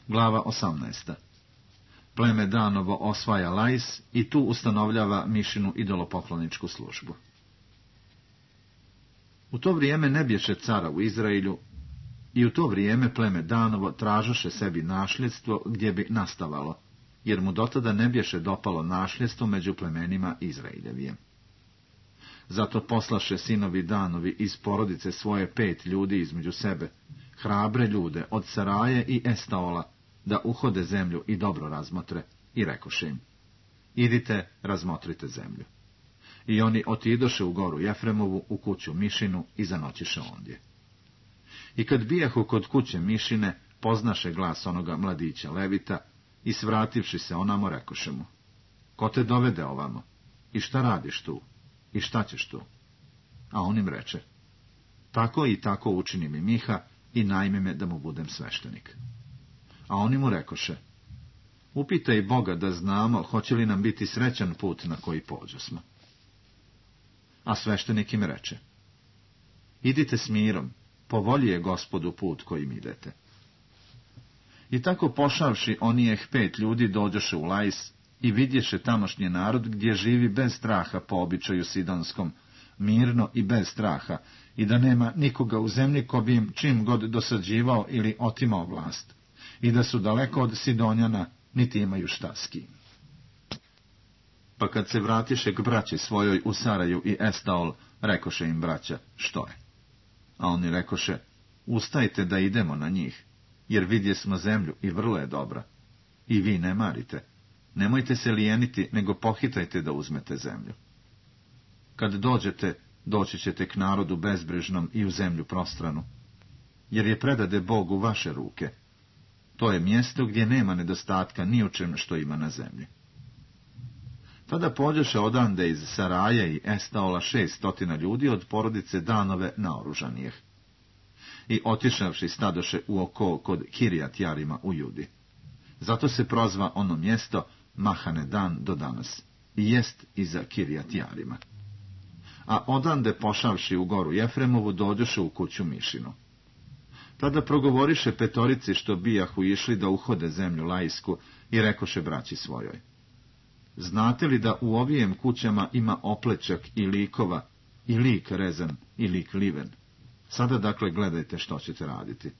Glava 18. Pleme Danovo osvaja Lais i tu ustanovljava Mišinu idolopokloničku službu. U to vrijeme ne bješe cara u Izraelju i u to vrijeme pleme Danovo tražoše sebi našljedstvo gdje bi nastavalo, jer mu dotada ne bješe dopalo našljedstvo među plemenima Izraeljevijem. Zato poslaše sinovi Danovi iz porodice svoje 5 ljudi između sebe, hrabre ljude od Saraje i Estaola, da uhode zemlju i dobro razmotre, i rekoše im: idite, razmotrite zemlju. I oni otidoše u goru Jefremovu, u kuću Mišinu, i zanoćiše ondje. I kad bijahu kod kuće Mišine, poznaše glas onoga mladića Levita, i svrativši se onamo, rekoše mu: ko te dovede ovamo? I šta radiš tu? I šta ćeš tu? A on im reče: tako i tako učini mi Miha i najmi me da mu budem sveštenik. A oni mu rekoše: upitaj Boga da znamo hoće li nam biti srećan put na koji pođosmo. A sveštenik im reče: idite s mirom, po volji je Gospodu put kojim idete. I tako pošavši onijeh 5 ljudi dođoše u Lais i vidješe tamošnji narod gdje živi bez straha po običaju sidonskom, mirno i bez straha, i da nema nikoga u zemlji ko bi im čim god dosađivao ili otimao vlast, i da su daleko od Sidonjana, niti imaju šta s kim. Pa kad se vratiše k braći svojoj u Saraju i Estaol, rekoše im braća: što je? A oni rekoše: ustajte da idemo na njih, jer vidje smo zemlju i vrlo je dobra. I vi ne marite, nemojte se lijeniti, nego pohitajte da uzmete zemlju. Kad dođete, doći ćete k narodu bezbrižnom i u zemlju prostranu, jer je predade Bog u vaše ruke. To je mjesto gdje nema nedostatka ni u čem što ima na zemlji. Tada pođeše odande iz Saraje i Estaola 600 ljudi od porodice Danove naoružanijeh. I otišavši stadoše u oko kod Kirijat Jarima u Judi. Zato se prozva ono mjesto Mahane Dan do danas, i jest iza Kirijat Jarima. A odande pošavši u goru Jefremovu dođoše u kuću Mišinu. Tada progovoriše 5 što bijahu išli da uhode zemlju Laisku i rekoše braći svojoj: znate li da u ovijem kućama ima oplečak i likova, i lik rezan, i lik liven? Sada dakle gledajte što ćete raditi.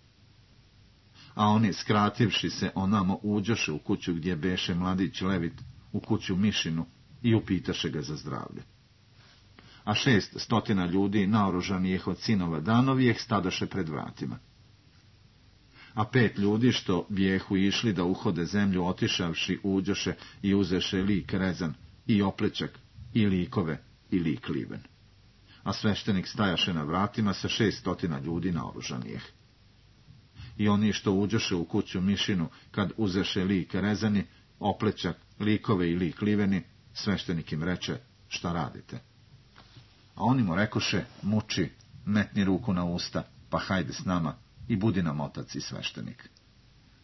A oni, skrativši se onamo, uđoše u kuću gdje beše mladić Levit, u kuću Mišinu, i upitaše ga za zdravlje. A 600 ljudi naoružanijih od sinova Danovijeh stadoše pred vratima. A 5 ljudi što bijehu išli da uhode zemlju, otišavši, uđoše i uzeše lik rezan, i oplečak, i likove, i lik liven. A sveštenik stajaše na vratima sa 600 ljudi naoružanijih. I oni što uđoše u kuću Mišinu, kad uzeše lik rezani, oplečak, likove i lik liveni, sveštenik im reče: šta radite? A oni mu rekoše: muči, metni ruku na usta, pa hajde s nama i budi nam otac i sveštenik.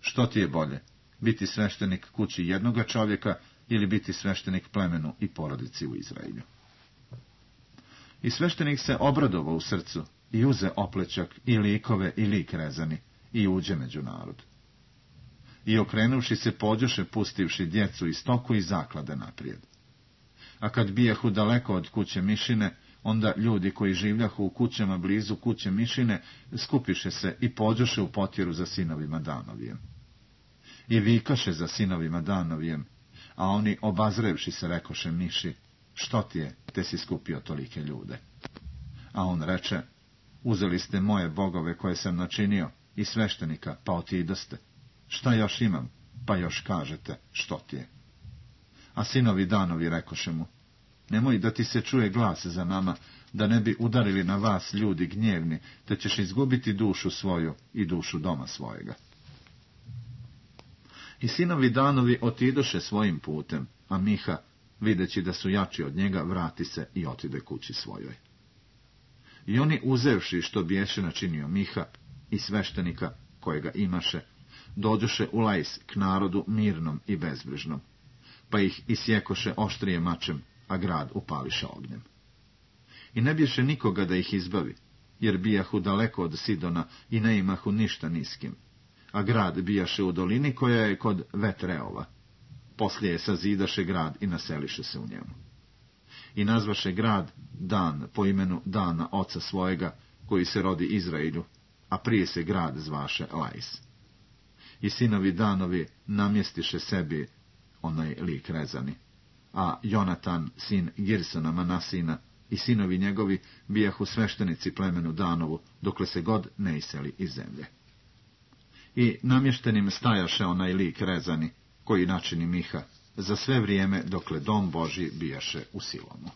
Što ti je bolje, biti sveštenik kući jednoga čovjeka ili biti sveštenik plemenu i porodici u Izraelju? I sveštenik se obradovao u srcu i uze oplečak i likove i lik rezani i uđe među narod. I okrenuvši se pođoše, pustivši djecu i stoku i zaklade naprijed. A kad bijahu daleko od kuće Mišine, onda ljudi koji življahu u kućama blizu kuće Mišine skupiše se i pođoše u potjeru za sinovima Danovijem. I vikaše za sinovima Danovijem, a oni, obazrevši se, rekoše Miši: što ti je, te si skupio tolike ljude? A on reče: uzeli ste moje bogove koje sam načinio i sveštenika, pa otidoste. Šta još imam, pa još kažete: što ti je? A sinovi Danovi rekoše mu: nemoj da ti se čuje glas za nama, da ne bi udarili na vas ljudi gnjevni, te ćeš izgubiti dušu svoju i dušu doma svojega. I sinovi Danovi otidoše svojim putem, a Miha, videći da su jači od njega, vrati se i otide kući svojoj. I oni, uzevši što biješe načinio Miha i sveštenika kojega imaše, dođoše u Lais k narodu mirnom i bezbrižnom, pa ih isjekoše oštrije mačem, a grad upališe ognjem. I ne bješe nikoga da ih izbavi, jer bijahu daleko od Sidona i ne imahu ništa niskim, a grad bijaše u dolini koja je kod Vetreova. Poslije je sazidaše grad i naseliše se u njemu. I nazvaše grad Dan po imenu Dana oca svojega, koji se rodi Izraelju, a prije se grad zvaše Lais. I sinovi Danovi namjestiše sebi onaj lik rezani, a Jonatan, sin Girsona Manasina, i sinovi njegovi bijahu sveštenici plemenu Danovu, dokle se god ne iseli iz zemlje. I namještenim stajaše onaj lik rezani, koji načini Miha, za sve vrijeme dokle dom Božji bijaše u Silomu.